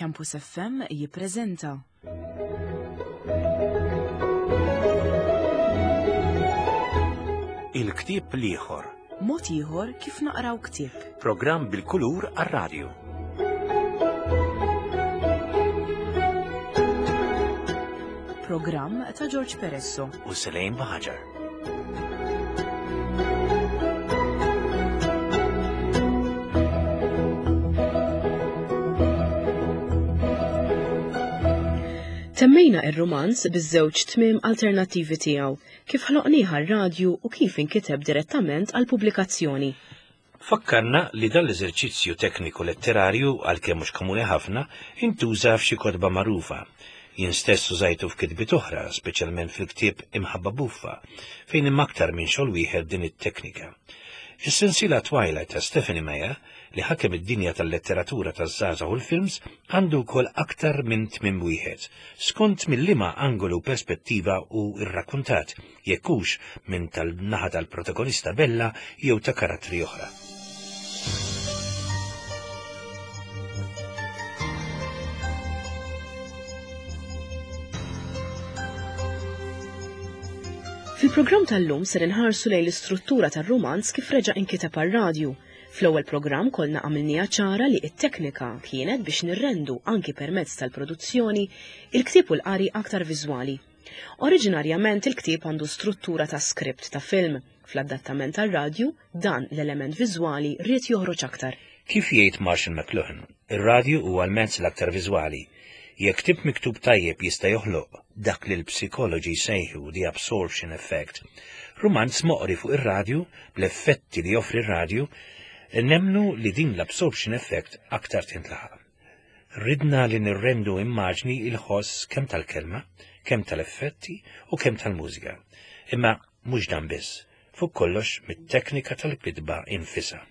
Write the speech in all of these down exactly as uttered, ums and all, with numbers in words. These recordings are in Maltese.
Campus F M jippreżenta Il-ktieb l-ieħor. Mod ieħor kif naqraw ktieb. Programm bil-kulur għar-radju. Programm ta' George Peresso u Selene Baħaġar. Temmejna ir-rumanz biż-żewġ tmiem alternattivi tiegħu, kif ħloqniha r-radju u kif inkiteb direttament għall-pubblikazzjoni. Fakkarna li dan l-eżerċizzju tekniku letterarju, għalkemm mhux komuni ħafna, intuża f'xi kotba magħrufa. Jien stess użajtu f'kitbiet oħra, speċjalment fil-ktieb Imħabba Buffa, fejn hemm aktar minn xogħol wieħed din it-teknika. Is-sensiela Twilight ta' Stephenie Meyer, li ħakem id-dinja tal-letteratura taż-żgħażagħ u l-films, għandu wkoll aktar minn tmiem wieħed, skont mill-liema angolu u perspettiva u rrakkuntat, jekk hux minn tal-naħa tal-protagonista Bella jew ta' karattri oħra. Fil-programm tal-lum ser inħarsu lejn l-istruttura tar-rumanz kif reġa' inkiteb għar-radju. Fl-ewwel programm kollna għamilniha ċara li t-teknika kienet biex nirrendu anki permezz tal-produzzjoni il-ktieb u l-qari aktar viżwali. Oriġinarjament il-ktieb għandu struttura ta' skript ta' film. Fl-adattament tar-radju dan l-element viżwali ried joħroġ aktar. Kif jgħid Marshall McLuhan, ir-radju huwa l-mezz l-aktar viżwali. Jekk ktieb miktub tajjeb jista' joħloq dak li l-psikoloġi jsejħu the absorption effect, rumanz moqri fuq ir-radju bl-effetti li joffri r-radju, nemnu li din l-absorption effect aktar tintlaħaq. Ridna li nirrendu immaġni il-ħoss kemm tal-kelma, kemm tal-effetti u kemm tal-mużika. Imma mhux dan biss, fuq kollox mit-teknika tal-kitba infisha.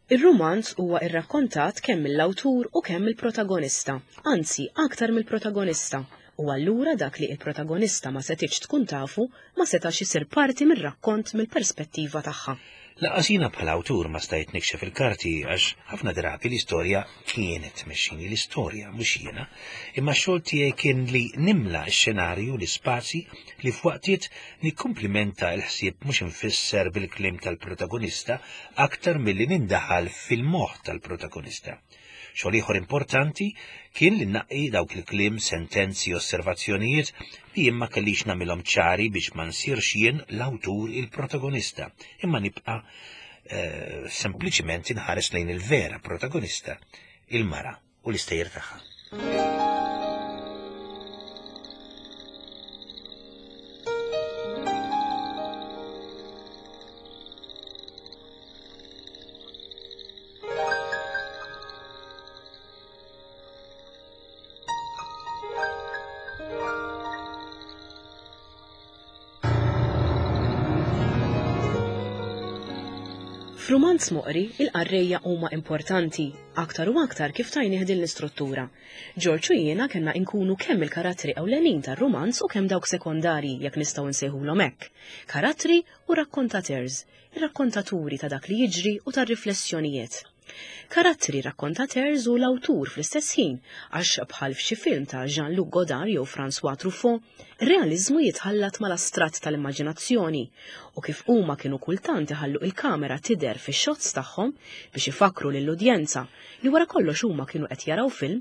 Ir-rumanz huwa irrakkontat kemm mill-awtur u kemm mill-protagonista, anzi aktar mill-protagonista, u allura dak li il-protagonista ma setgħetx tkun tafu ma setax isir parti mir-rakkont mill-perspettiva tagħha. Lanqas jiena bħala awtur ma stajt nikxef il-karti għax ħafna drabi l-istorja kienet tmexxini l-istorja, mhux jiena, imma x-xogħol tiegħi kien li nimla x-xenarju, l-ispazji li f'waqtiet nikkumplimenta l-ħsieb mhux infisser bil-kliem tal-protagonista aktar milli nindaħal fil-moħħ tal-protagonista. Xogħol ieħor importanti kien li nnaqqi dawk il-kliem, sentenzi, osservazzjonijiet li jien ma kellix nagħmilhom ċari biex ma nsirx jien l-awtur il-protagonista, imma nibqa', eh, sempliċiment inħares lejn il-vera protagonista, il-mara u l-istejjer tagħha. F'rumanz moqri, il-qarrejja huma importanti, aktar u aktar kif tajnih din l-istruttura. George u jiena kellna nkunu kemm il-karattri ewlenin tar-rumanz u kemm dawk sekondarji jekk nistgħu nsejħulhom hekk. Karattri u rakkontateurs, ir-rakkontaturi ta' dak li jiġri u tar-riflessjonijiet. Karattri rakkontateurs u l-awtur fl-istess ħin, għax bħal f'xi film ta' Jean-Luc Godard jew François Truffaut, ir-realiżmu jitħallat mal-astratt tal-immaġinazzjoni u kif huma kienu kultant iħallu il-kamera tidher fix-shots tagħhom biex ifakru lill-udjenza li wara kollox huma kienu qed jaraw film,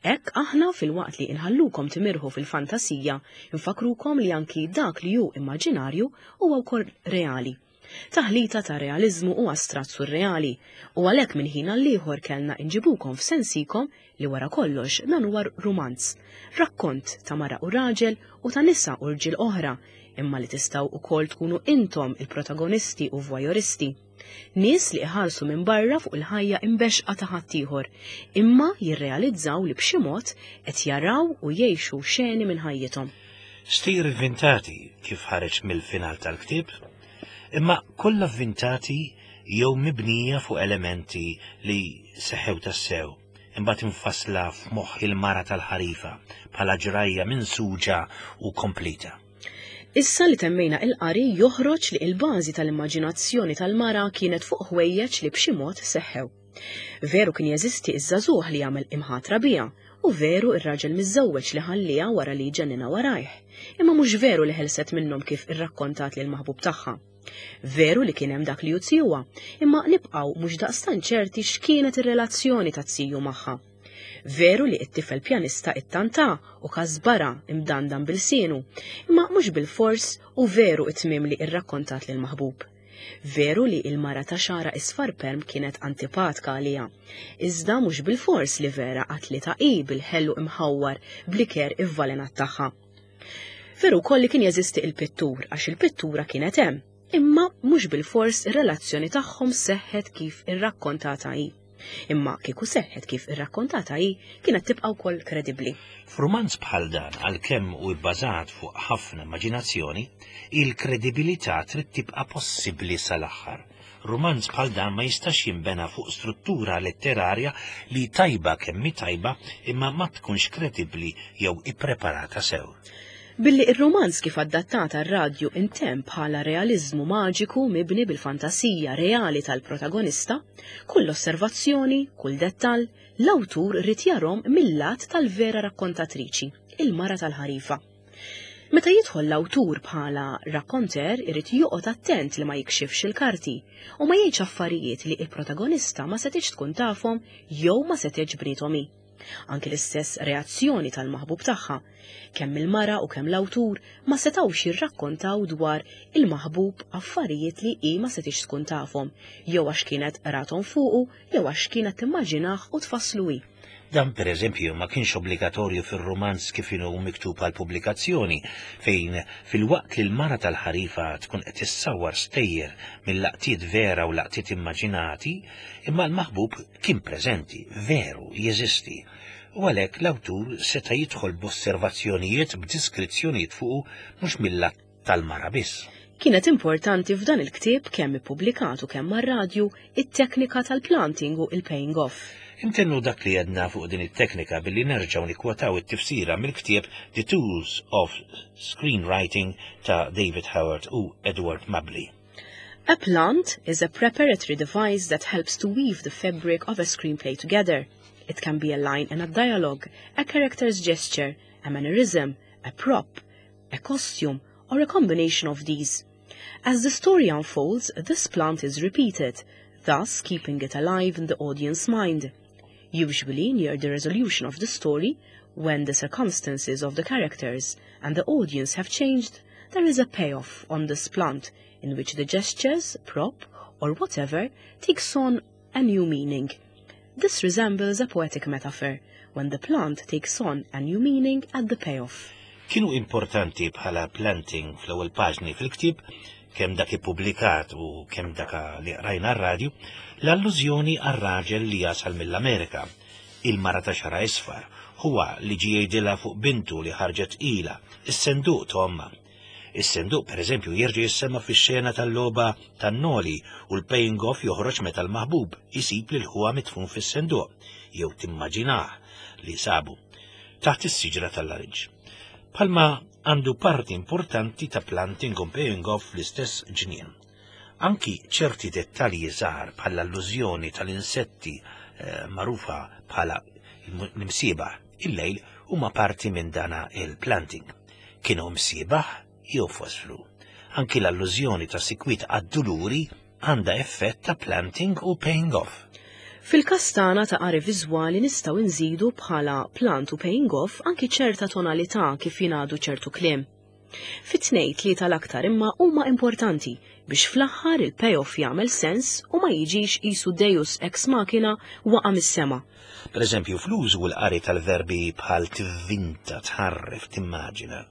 hekk aħna filwaqt li inħallukom timirħu fil-fantasija, infakrukom li anki dak li hu immaġinarju huwa wkoll reali. Taħlita ta' realizmu u astratt surreali, u għalhekk minn ħin għal ieħor kellna inġibukom f'sensikom li wara kollox dan huwa rumanz, rakkont ta' mara u raġel u ta' nisa u rġiel oħra, imma li tistgħu wkoll tkunu intom il-protagonisti u voyeuristi. Nies li iħarsu minn barra fuq il-ħajja imbexqa ta' ħaddieħor, imma jirrealizzaw li b'xi mod qed jaraw u jgħixu xeni minn ħajjithom. Stejjer ivvintati kif ħareġ mill-final tal-ktieb, imma kollha vvintati jew mibnija fuq elementi li seħew tassew, imbagħad infassla f'moħħ il-mara tal-ħarifa bħala ġrajja minsuġa u komplita. Issa li temmejna il-qari joħroġ li il-bażi tal-immaġinazzjoni tal-mara kienet fuq ħwejjeġ li b'xi mod seħħew. Veru kien jeżisti iż-żagħżugħ li jagħmel imħatra biha U veru ir-raġel miżżewweġ li ħalliha wara li ġennina warajh, imma mhux veru li ħelset minnhom kif irrakkontat lil maħbub tagħha. Veru li kien hemm dak li jutsijuha, imma nibqgħu mhux daqstant ċerti x'kienet ir-relazzjoni ta' tiju magħha. Veru li t-tifel pjanista ittanta u kasbara imdandan bil-sienu, imma mhux bil-fors u veru it-tmiem li irrakkontat lil maħbub. Veru li il-mara ta' xara isfar perm kienet antipatka għalija. Iżda mhux bil-fors li vera qatlitha hi bil-ħellu imħawwar bliker ivvalenat tagħha. Veru wkoll li kien jeżisti il-pittur għax il-pittura kienet hemm, imma mhux bil-fors ir-relazzjoni tagħhom seħħet kif irrakkontata hi. Imma kieku seħħet kif irrakkontata hi, kienet tibqa' wkoll kredibbli. F'rumanz bħal dan, għalkemm hu bbażat fuq ħafna immaġinazzjoni, il-kredibilità trid tibqa' possibbli sal-aħħar. Rumanz bħal dan ma jistax jinbena fuq struttura letterarja li tajba kemm hi tajba imma ma tkunx kredibbli jew ippreparata sew. Billi ir-romanz kif adattat għar-radju intemm bħala realizmu maġiku mibni bil-fantasija reali tal-protagonista, kull osservazzjoni, kull dettall, l-awtur ried jarahom mill-lat tal-vera rakkontatriċi, il-mara tal-ħarifa. Meta jidħol l-awtur bħala rakkonter irid joqgħod attent li ma jikxifx il-karti u ma jgħidx affarijiet li il-protagonista ma setgħetx tkun tafhom jew ma setgħetx bniethom hi. Anki l-istess reazzjoni tal-maħbub tagħha, kemm il-mara u kemm l-awtur ma setgħux jirrakkontaw dwar il-maħbub affarijiet li hi ma setgħetx tkun tafhom, jew għax kienet rathom fuqu, jew għax kienet timmaġinah u tfasslu hi. Dan per eżempju ma kienx obbligatorju fir-rumanz kif inhu miktub għal pubblikazzjoni, fejn fil-waqt li l-mara tal-ħarifa tkun qed issawwar stejjer mill-laqtiet vera u laqtiet immaġinati, imma l-maħbub kien preżenti, veru, jeżisti. U għalhekk l-awtur seta' jidħol b'osservazzjonijiet b'diskrizzjonijiet fuqu mhux mill-lat tal-mara biss. Kienet importanti f'dan il-ktieb kemm ippubblikat u kemm mar-radju it-teknika tal-planting u il-paying off. Intennu dak li għedna fuq din it-teknika billi nerġgħu nikwotaw it-tifsira mill-ktieb The Tools of Screenwriting ta' David Howard u Edward Mabley. A plant is a preparatory device that helps to weave the fabric of a screenplay together. It can be a line in a dialogue, a character's gesture, a mannerism, a prop, a costume, or a combination of these. As the story unfolds, this plant is repeated, thus keeping it alive in the audience mind. Usually near the resolution of the story, when the circumstances of the characters and the audience have changed, there is a payoff on this plant in which the gestures, prop, or whatever takes on a new meaning. This resembles a poetic metaphor, when the plant takes on a new meaning at the payoff. Kienu importanti bħala planting fl-ewwel paġni fil-ktieb, kemm dak ippubblikat u kemm dak li qrajna r-radju, l-allużjoni għar-raġel li jasal mill-Amerika, il-mara ta' xara isfar, huwa li ġie jgħidilha fuq bintu li ħarġet ila, is-senduq ta' ommha. Is-senduq per eżempju jerġa' jissemma fix-xena tal-logħba tan-noli u l-paying off joħroġ meta l-maħbub isib lil ħuha mitfun fis-senduq, jew timmaġinah li sabu taħt is-siġra tal-larinġ. Palma għandu parti importanti ta' planting u paying off fl-istess ġnien. Anki ċerti dettalji żgħar bħala allużjoni tal-insetti eh, magħrufa bħala l-imsiebaħ il-lejl huma parti minn dana il-planting. Kienu msiebaħ jew fosfru. Anki l-allużjoni ta' sikwit għad-duluri għandha effett ta' planting u paying off. Fil-każ tagħna ta' qari viżwali nistgħu nżidu bħala plant u paying off anki ċerta tonalità kif jingħadu ċertu kliem. Fit-tnejn tlieta l-aktar imma huma importanti biex fl-aħħar il-payoff jagħmel sens u ma jiġix qisu deus ex machina waqa' mis-sema. Per eżempju, fl-użu u l-qari tal-verbi bħal tivvinta, tħarref, timmaġina.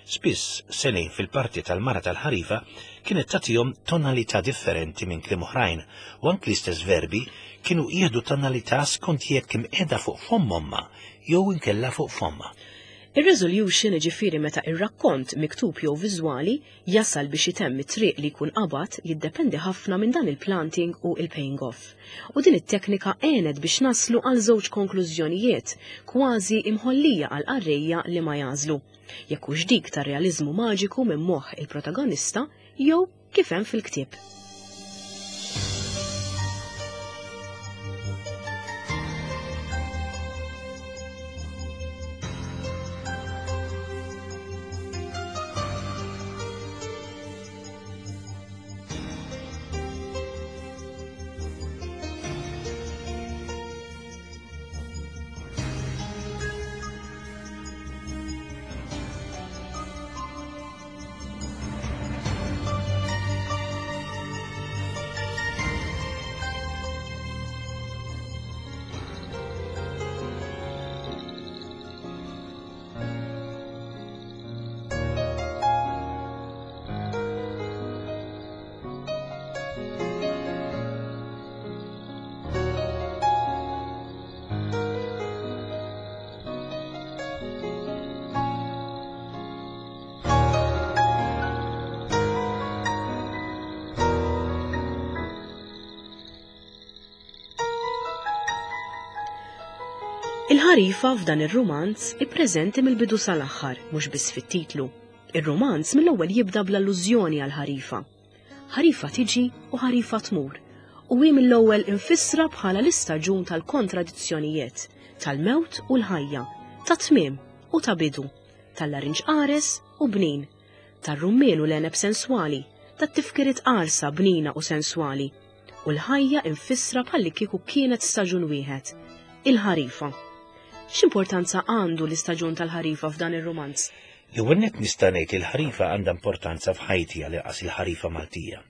Spiss, Celine fil-parti tal-mara tal-ħarifa kienet tagħtihom tonalità differenti minn kliem oħrajn u anki l-istess verbi kienu jieħdu tonalità skont jekk imqiegħda fuq fomm ommha jew inkella fuq fommha. Ir-resolution ġifieri meta ir-rakkont miktub jew viżwali jasal biex itemm it-triq li jkun qabad jiddependi ħafna minn dan il-planting u il-paying off. U din it-teknika għenet biex naslu għal żewġ konklużjonijiet kważi imħollija għal qarrejja li ma jagħżlu. Jekk hux dik tar-realiżmu maġiku minn moħħ il-protagonista jew kif hemm fil-ktieb. Il-ħarifa f'dan ir-rumanz ippreżenti mill-bidu sal-aħħar, mhux biss fit-titlu. Ir-rumanz mill-ewwel jibda bl-allużjoni għall-ħarifa. Ħarifa tiġi u ħarifa tmur, u hi mill-ewwel infissra bħala l-istaġun tal-kontradizzjonijiet, tal-mewt u l-ħajja, ta' tmiem u ta' bidu, tal-larinġ qares u bnin, tar-rummien u l-għeneb senswali, tat-tifkiriet qarsa bnina u senswali, u l-ħajja infissra bħalli kieku kienet staġun wieħed, il-ħarifa. X'importanza għandu l-istaġun tal-ħarifa f'dan ir-rumanz? L-ewwel nett nista' ngħid li l-ħarifa għandha importanza f'ħajti għal il-ħarifa Maltija.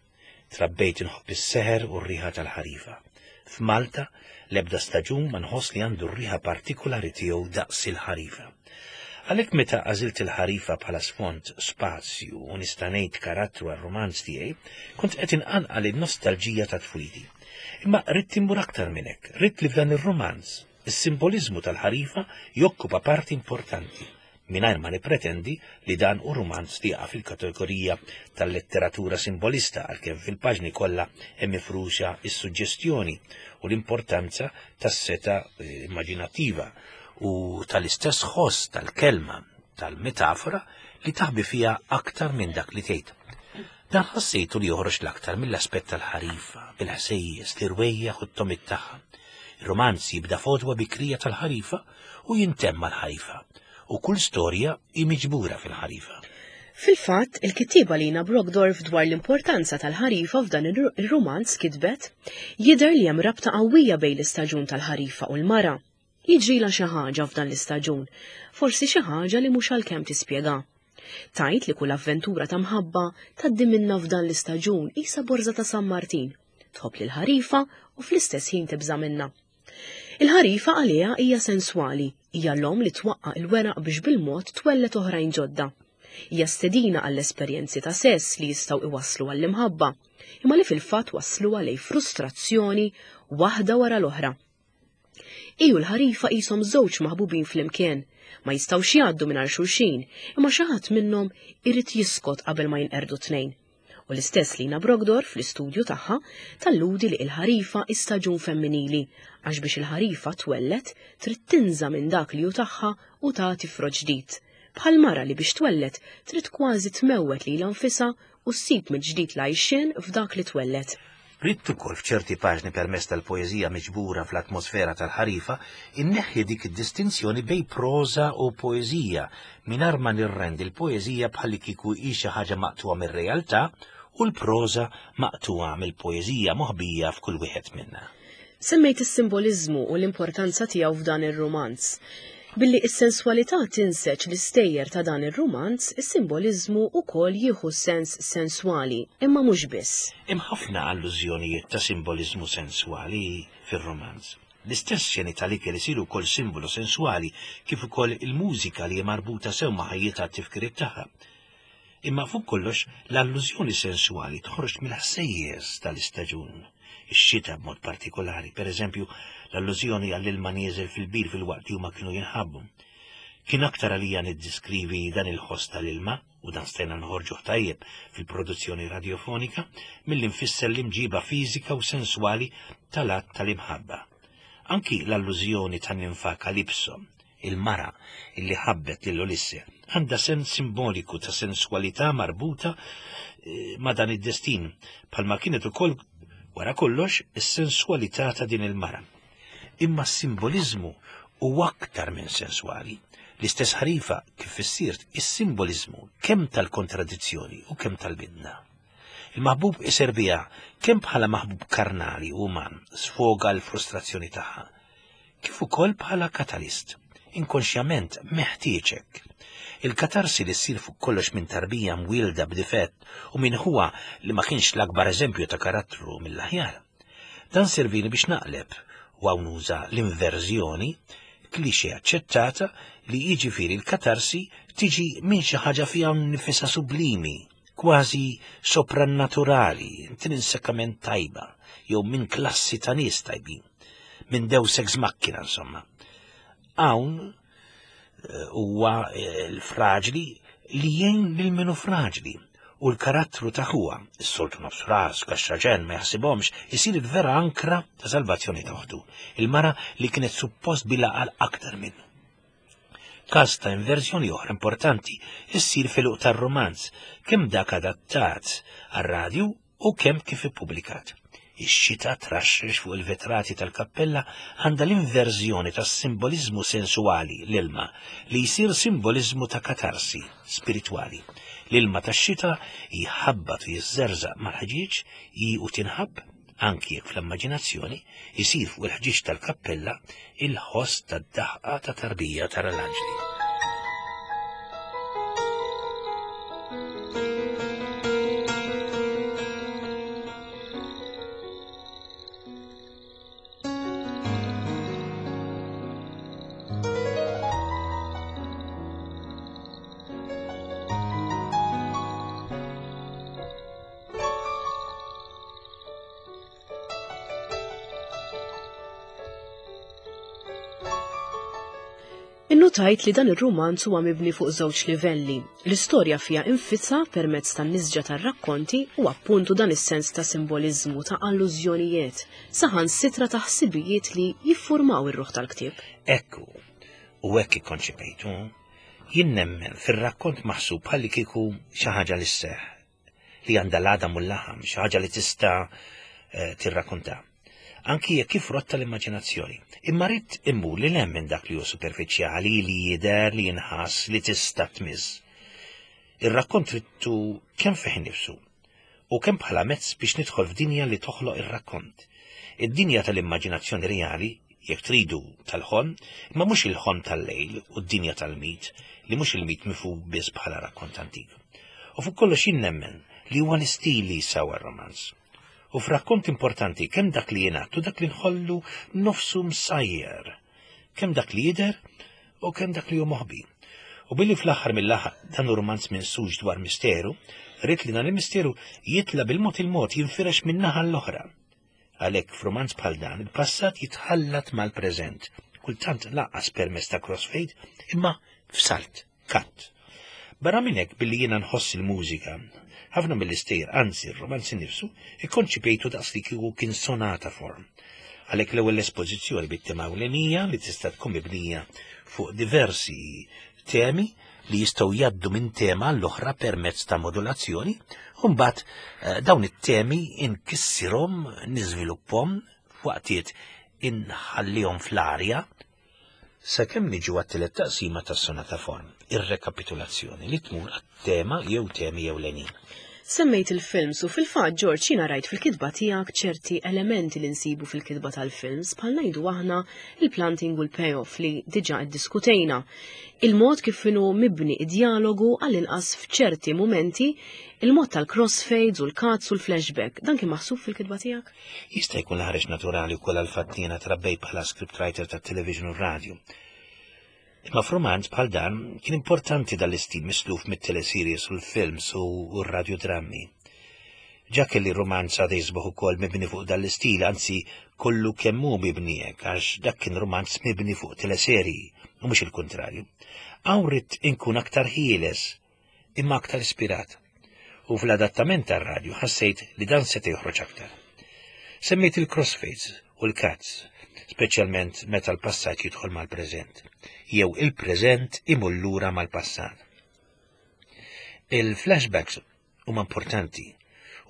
Trabbejt inħobb is-seħer u r-riħa tal-ħarifa. F'Malta l-ebda staġun ma nħoss li għandu r-riħa partikolari tiegħu daqs il-ħarifa. Għalhekk meta għażilt il-ħarifa bħala sfond, spazju u nista' ngħid karattru għar-rumanz tiegħi, kont qed inqanqal in-nostalġija ta' tfuliti. Imma ridt immur aktar minn hekk, ridt li f'dan ir-rumanz is-simboliżmu tal-ħarifa jokkupa parti importanti, mingħajr ma nippretendi li dan hu rumanz li jaqa' fil-kategorija tal-letteratura simbolista, għalkemm fil-paġni kollha hemm mifruxa s-suġġestjoni u l-importanza tas-seta immaġinattiva u tal-istess ħoss tal-kelma, tal-metafora li taħbi fiha aktar minn dak li tgħid. Dan ħassejtu li joħroġ l-aktar mill-aspett tal-ħarifa, bil-ħsejjes, l-irwejjaħ u t-tomit tagħha. Il-romanz jibda fodwa bikrija tal-ħarifa u jintemm mal-ħarifa, u kull storja hi miġbura fil-ħarifa. Fil-fatt, il-kittieba Lina Brockdorff dwar l-importanza tal-ħarifa f'dan ir-rumanz kitbet jidher li hemm rabta qawwija bejn l-istaġun tal-ħarifa u l-mara. Jiġrilha xi ħaġa f'dan l-istaġun, forsi xi ħaġa li mhux għalkemm tispjega. Tajt li kull avventura ta' mħabba tgħaddi minna f'dan l-istaġun qisha borża ta' San Martin, tħobb lil ħarifa u fl-istess ħin tibża' minnha. Il-ħarifa għaliha hija senswali, hija l-om li twaqqa' il-weraq biex bil-mod twellet oħrajn ġodda. Hija stedina għall-esperjenzi ta' sess li jistgħu iwasslu għall-imħabba, imma li fil-fatt waslu għalej frustrazzjoni waħda wara l-oħra. Iju l-ħarifa qishom żewġ maħbubin flimkien, ma jistgħux jgħaddu mingħajr xulxin, imma xi ħadd minnhom irid jiskot qabel ma jinqerdu tnejn. U l-istess Lina Brockdorff fl-istudju tagħha talludi li l-ħarifa istaġun femminili, għax biex il-ħarifa twellet trid tinża minn dak li hu tagħha u tagħti frott ġdid. Bħal mara li biex twellet trid kważi tmewwet lilha nfisha u ssib mill-ġdid l-għajxien f'dak li twellet. Ridt ukoll f'ċerti paġni permezz tal-poeżija miġbura fl-atmosfera tal-ħarifa inneħħi dik id-distinzjoni bejn proża u poeżija mingħajr ma nirrendi l-poeżija bħalli kieku hi xi ħaġa maqtugħa mir-realtà u l-proża maqtugħa mill-poeżija moħbija f'kull wieħed minna. Semmejt is-simboliżmu u l-importanza tiegħu f'dan ir-rumanz. Billi is-senswalità tinseġ l-istejjer ta' dan ir-rumanz, is-simboliżmu wkoll jieħu sens senswali, imma mhux biss. Hemm ħafna allużjonijiet ta' simboliżmu senswali fir-rumanz. L-istess xeni tal-ikel isiru wkoll simbolu senswali, kif ukoll il-mużika li hi marbuta sew ma' ħajjitha t-tifkiriet tagħha. Imma fuq kollox l-allużjoni senswali toħroġ mill-ħsejjes tal-istaġun, ix-xita b'mod partikolari, per eżempju l-allużjoni għall-ilma nieżel fil-bir fil-waqt li huma kienu jinħabbu. Kien aktar għalija niddiskrivi dan il-ħoss tal-ilma, u dan stajna nħorġuh tajjeb fil-produzzjoni radiofonika, milli nfisser l-imġiba fiżika u senswali tal-att tal-imħabba. Anki l-allużjoni tan-ninfa Kalipso, il-mara illi ħabbet lil Ulisse, għandha sens simboliku ta' senswalità marbuta ma' dan id-destin, bħalma kienet ukoll wara kollox is-senswalità ta' din il-mara. Imma s-simboliżmu huwa aktar minn senswali. L-istess ħarifa kif issirt is-simboliżmu kemm tal-kontradizzjoni u kemm tal-bidna. Il-maħbub iserbiha kemm bħala maħbub karnali u uman sfoga l-frustrazzjoni tagħha, kif ukoll bħala katalist, inkonxjament meħtieġek. Il-katarsi li ssir fuq kollox minn tarbija mwielda b'difett u minn huwa li ma kienx l-akbar eżempju ta' karattru mill-aħjar. Dan servini biex naqleb u hawn nuża l-inverżjoni, klixe aċċettata li jiġifieri l-katarsi tiġi minn xi ħaġa fiha nifisha sublimi, kważi soprannaturali, intrinsekament tajba, jew minn klassi ta' nies tajbin, minn deus ex machina insomma. Hawn huwa l-fraġli li jgħin lil minu fraġli U l-karattru ta' ħuha, is-soltu nofs ras, kaxxaġen, ma jaħsibhomx, isir il-vera ankra ta' salvazzjoni ta' oħtu, il-mara li kienet suppost bil-għaqal aktar minnu. Każ ta' inverżjoni oħra importanti issir fil-uq tar-romanz, kemm dak adattat għar-radju u kemm kif ippubblikat. Ix-xita traxxex fuq il-vetrati tal-kappella għandha l-inverżjoni tas-simboliżmu sensuali, l-ilma, li jsir simboliżmu ta' katarsi spiritwali. L-ilma tax-xita jħabbat u jiżżerżaq mal-ħġieġ hi u tinħabb, anki jekk fl-immaġinazzjoni, isir fuq il-ħġieġ tal-kappella il-ħoss tad-daħqa ta' tarbija tara l-anġli. Innutajt li dan ir-rumanz huwa mibni fuq żewġ livelli. L-istorja fiha infitha permezz tan-nisġa tar-rakkonti u appuntu dan is-sens ta' simboliżmu, ta' allużjonijiet, saħansitra ta' ħsibijiet li jiffurmaw ir-ruħ tal-ktieb. Ekku, u hekk ikkonċepejtu, jien nemmen fir-rakkont maħsub bħalli kieku xi ħaġa li sseħħ, li għandha l-għadam u l-laħam, xi ħaġa li tista' tirrakkonta. Anki jekk kif rotta l-immaġinazzjoni. Imma rrid immur li hemm minn dak li hu superfiċjali, li jidher, li jinħass, li tista' tmiss. Ir-rakkont ridtu kemm fih innifsu u kemm bħala mezz biex nidħol f'dinja li toħloq ir-rakkont. Id-dinja tal-immaġinazzjoni reali, jekk tridu tal-ħolm, imma mhux il-ħolm tal-lejl u d-dinja tal-mit, li mhux il-mit mifhum biss bħala rakkont antik. U fuq kollox jien nemmen li huwa l-istil li jsawa r-romanz. U f'rakkont importanti kemm dak li jingħad u dak li nħollu nofsu msajjer, kemm dak li jidher u kemm dak li hu moħbi. U billi fl-aħħar mill-aħħar dan hu romanz minsuġ dwar misteru, rrid li dan il-misteru jitla bil-mod il-mod jinfirex minn naħa l-oħra. Għalhekk f'romanz bħal dan il-passat jitħallat mal-preżent, kultant lanqas permezz ta' crossfade, imma f'salt, cut. Barra minn hekk billi jiena nħoss il-mużika, ħafna mill-istejjer, anzi r-romanz innifsu, ikkonċipejtu daqs li kieku kien sonata form. Għalhekk l-ewwel espożizzjoni bit-tema ewlenija li tista' tkun mibnija fuq diversi temi li jistgħu jgħaddu minn tema l-oħra permezz ta' modulazzjoni, u mbagħad dawn it-temi inkissirhom, niżviluppahom, f'waqtiet inħallihom fl-arja, sakemm niġu għat-tielet taqsima tas-sonata form, ir-rekapitulazzjoni li tmur għat-tema jew temi ewlenin. Semmejt il-films u fil-fatt, George, jiena rajt fil-kitba tiegħek ċerti elementi li nsibu fil-kitba tal-films, bħal ngħidu aħna il-planting u l-payoff li diġà iddiskutejna. Il-mod kif inhu mibni id-dialogu għall-inqas f'ċerti mumenti, il-mod tal-crossfades u l-cuts u l-flashback, dan kien maħsub fil-kitba tiegħek? Jista' jkun ħareġ naturali wkoll għall-fatt li jiena trabbejt bħala scriptwriter tat-television u r-radju. Imma f'romanz bħal dan kien importanti dal-istil misluf mit-teleseries u l-films u r-radiodrammi. Ġa kelli romanz għada jisbaħ ukoll mibni fuq dal-istil, anzi kollu kemm hu mibni hekk, għax dak kien romanz mibni fuq teleserji u mhux il-kuntrarju. Hawn ridt inkun aktar ħieles, imma aktar ispirat. U fl-adattament tar-radju ħassejt li dan seta' joħroġ aktar. Semmejt il-crossfades u l-cuts, speċjalment meta l-passat jidħol mal-preżent, jew il-preżent imur lura mal-passat. Il-flashbacks huma importanti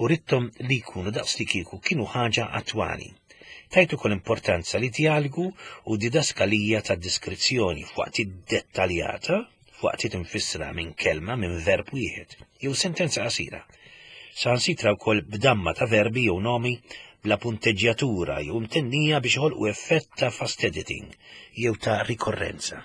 u ridthom li jkunu daqs li kieku kienu ħaġa attwali. Tajt ukoll importanza li dialogu u didaskalija ta' diskrezzjoni f'waqt dettaljata, f'waqt infissra minn kelma minn verb wieħed jew sentenza qasira. Saħansitra wkoll b'damma ta' verbi jew nomi bla punteġġjatura jew imtennija biex joħolqu effett ta' fast editing jew ta' rikorrenza.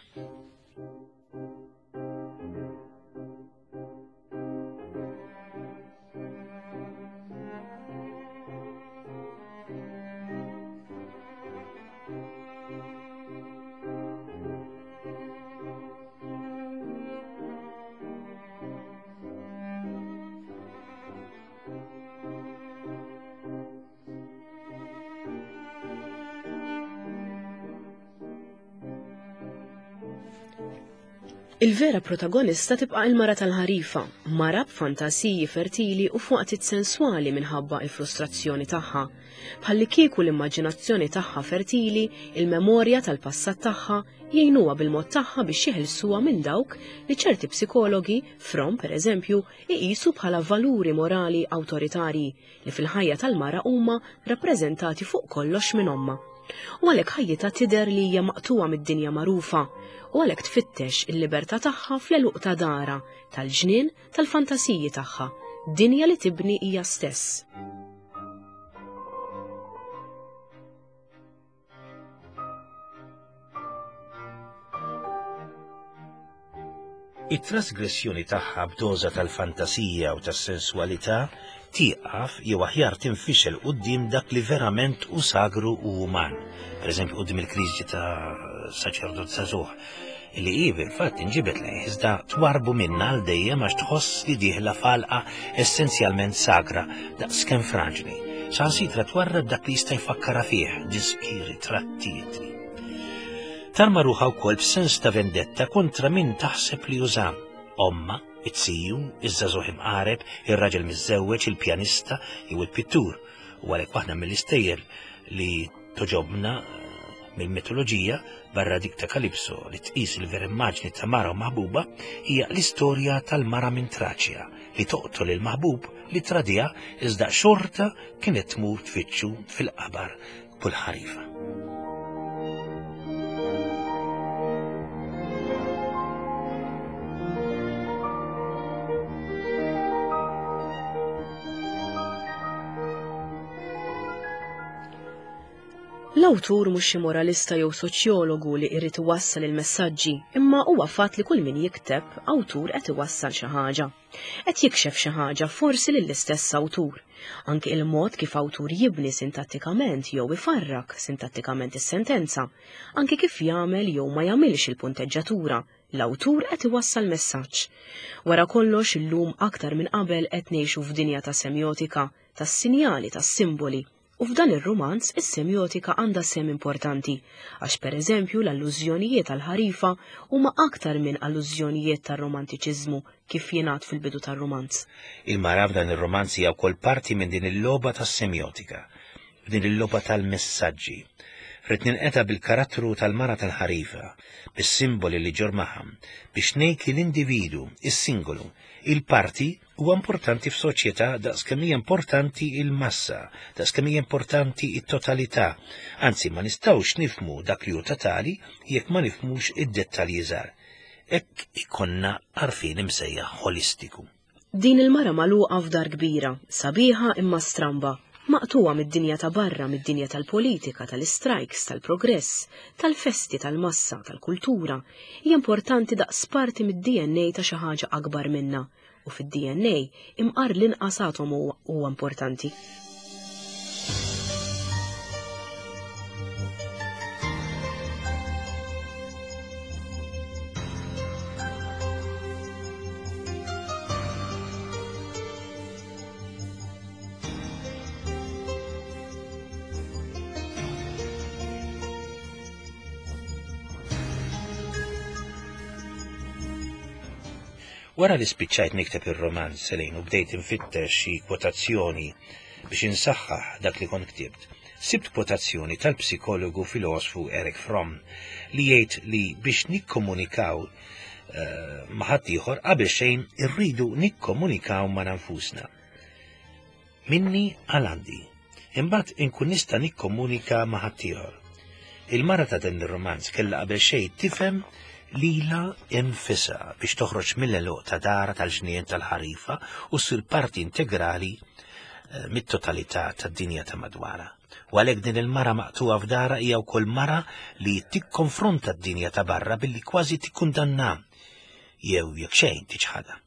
Il-vera protagonista tibqa' il-mara tal-ħarifa, mara b'fantasiji fertili u f'waqtiet senswali minħabba il-frustrazzjoni tagħha. Bħalli kieku l-immaġinazzjoni tagħha fertili, il-memorja tal-passat tagħha jgħinuha bil-mod tagħha biex jeħilsuha minn dawk li ċerti psikologi, Fromm pereżempju, iqisu bħala valuri morali awtoritarji li fil-ħajja tal-mara huma rappreżentati fuq kollox minn ommha. U għalhekk ħajjitha tidher li hija maqtuwa mid-dinja magħrufa, u għalhekk tfittex il-libertà tagħha fl-għeluq ta' dara, tal-ġnien, tal-fantasiji tagħha, dinja li tibni hija stess. It-trasgressjoni tagħha b'doża tal-fantasija u tas-senswalità tieqaf jew aħjar tinfixel quddiem dak li verament hu sagru u uman. Pereżempju quddiem il-kriżi ta' saċerdot żagħżugħ li hi fil-fatt inġibet lejh iżda twarbu minnha għal dejjem għax tħoss li dieħla f'għalqa essenzjalment sagra daqskemm fraġli. Saħansitra twarrab dak li jista' jfakkarha fih, diski, ritratti, ittri. Tarma ruħha wkoll b'sens ta' vendetta kontra min taħseb li juża. Omma, it-siju, iż-żagħżugħ imqareb, ir-raġel miżżewweġ, il-pjanista jew il-pittur. U għalhekk waħda mill-istejjer li toġobna mill-mitoloġija barra dik ta' Kalipso li tqis il-vera immaġni ta' mara u maħbuba hija l-istorja tal-mara minn Traċja li toqtol il-maħbub li tradiha iżda xorta kienet tmur tfittxu fil-qabar kull ħarifa. L-awtur mhux xi moralista jew soċjologu li jrid iwassal il-messaġġi, imma huwa fatt li kull min jikteb awtur qed iwassal xi ħaġa. Qed jikxef xi ħaġa forsi lill-istess awtur. Anke il-mod kif awtur jibni sintattikament jew ifarrak sintattikament is-sentenza, anke kif jagħmel jew ma jagħmilx il-punteġġatura, l-awtur qed iwassal messaġġ. Wara kollox illum aktar minn qabel qed ngħixu f'dinja ta' semjotika, tas-sinjali, tas-simboli. U f'dan ir-rumanz is-semjotika għandha sehem importanti, għax pereżempju l-allużjonijiet għall-ħarifa huma aktar minn allużjonijiet tar-romantiċiżmu kif jingħad fil-bidu tar-rumanz. Il-mara f'dan ir-romanz hija wkoll parti minn din il-logħba tas-semjotika, f'din il-logħba tal-messaġġi. Rrid ninqeta' bil-karattru tal-mara tal-ħarifa, bis-simboli li ġor magħha, biex ngħid li l-individu, is-singolu, il-parti huwa importanti f'soċjetà daqskemm hija importanti il-massa, daqskemm hija importanti it-totalità. Anzi, ma nistgħux nifhmu dak li hu totali jekk ma nifhmux id-dettalji żgħar. Hekk ikonna għarfien imsejjaħ holistiku. Din il-mara magħluqa f'dar kbira, sabiħa imma stramba, maqtuwa mid-dinja ta' barra, mid-dinja tal-politika, tal-istrajks, tal-progress, tal-festi, tal-massa, tal-kultura, hija importanti daqs parti mid-D N A ta' xi ħaġa akbar minna, u fid-D N A imqar l-inqas atomu huwa importanti. Wara li spiċċajt nikteb ir-romanz Selin u bdejt infittex xi kwotazzjoni biex insaħħaħ dak li kont ktibt, sibt kwotazzjoni tal-psikologu filosfu Erich Fromm li jgħid li biex nikkomunikaw uh, ma' ħaddieħor qabel xejn irridu nikkomunikaw ma' nfusna. Minni għal għandi, imbagħad inkun nista' nikkomunika ma' ħaddieħor. Il-mara ta' dan ir-romanz kellha qabel xejn tifhem lila infisa biex toħroġ mill-għeluq ta' dara tal-ġnien tal-ħarifa u ssir parti integrali mit-totalità tad-dinja ta' madwarha. U għalhekk din il-mara maqtuha f'dara hija wkoll mara li tikkonfronta d-dinja ta' barra billi kważi tikkundanna jew jekk xejn tiċħadha.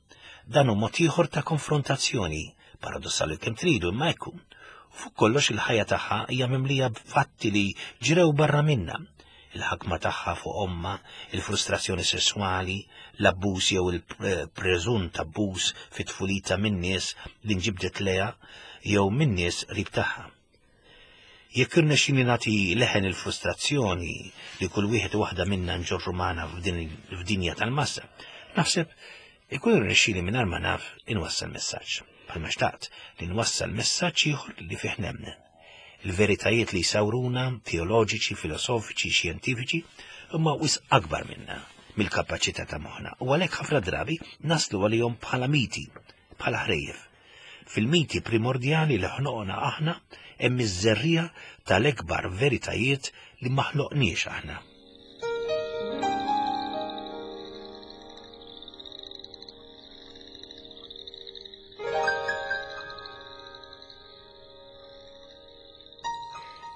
Dan hu mod ieħor ta' konfrontazzjoni, paradossali kemm tridu imma jkun. U fuq kollox il-ħajja tagħha hija mimlija b'fatti li ġrew barra minnha. Il-ħakma tagħha fuq omma, il-frustrazzjoni sesswali, l-abbuż jew il-preżunt abbuż fit-tfulita minn nies li nġibdet leha jew minn nies qrib tagħha. Jekk irnexxieli nagħti leħen il-frustrazzjoni li kull wieħed u waħda minna nġorru magħna f'dinja tal-massa, naħseb ikun irnexxieli mingħajr ma naf inwassal messaġġ. Bħalma xtaqt li nwassal messaġġ ieħor li fih nemmen. Il-veritajiet li jsawruna, teoloġiċi, filosofiċi, xjentifiċi, huma wisq akbar minna mill-kapaċità ta' moħħna u għalhekk ħafna drabi naslu għalihom bħala miti, bħala ħrejjef. Fil-miti primordjali li ħloqna aħna hemm iż-żerriegħa tal-ekbar veritajiet li ma ħloqniex aħna.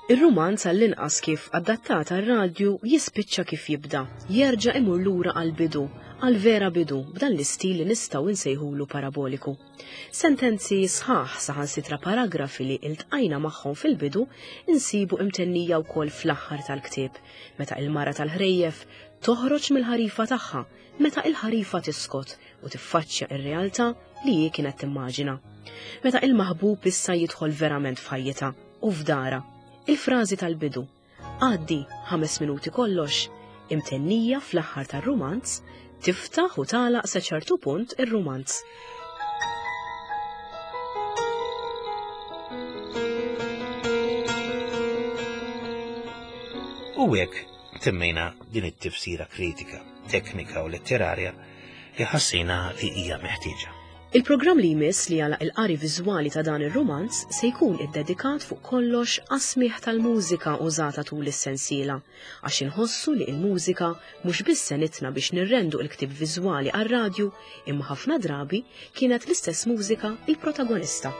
Ir-rumanz għall-inqas kif adattat għar-radju jispiċċa kif jibda, jerġa' imur lura għall-bidu, għal-vera bidu, b'dan l-istil li nistgħu nsejħulu paraboliku. Sentenzi sħaħ saħansitra paragrafi li iltqajna magħhom fil-bidu insibu imtennija wkoll fl-aħħar tal-ktieb, meta il-mara tal-ħrejjef toħroġ mill-ħarifa tagħha, meta il-ħarifa tiskot u tiffaċċja ir-realtà li hi kienet timmaġina. Meta il-maħbub issa jidħol verament f'ħajjitha u f'dara. Il-frażi tal-bidu, għaddi ħames minuti kollox, imtennija fl-aħħar tar-rumanz, tiftaħ u tagħlaq sa ċertu punt ir-rumanz. U hekk temmejna din it-tifsira kritika, teknika u letterarja li ħassejna li hija meħtieġa. Il-programm li jmiss li għalaq il-qari viżwali ta' dan ir-rumanz se jkun iddedikat fuq kollox għas-smigħ tal-mużika użata tul is-sensiela, għax inħossu li l-mużika mhux biss senitna biex nirrendu l-ktieb viżwali għar-radju, imma ħafna drabi kienet l-istess mużika il-protagonista.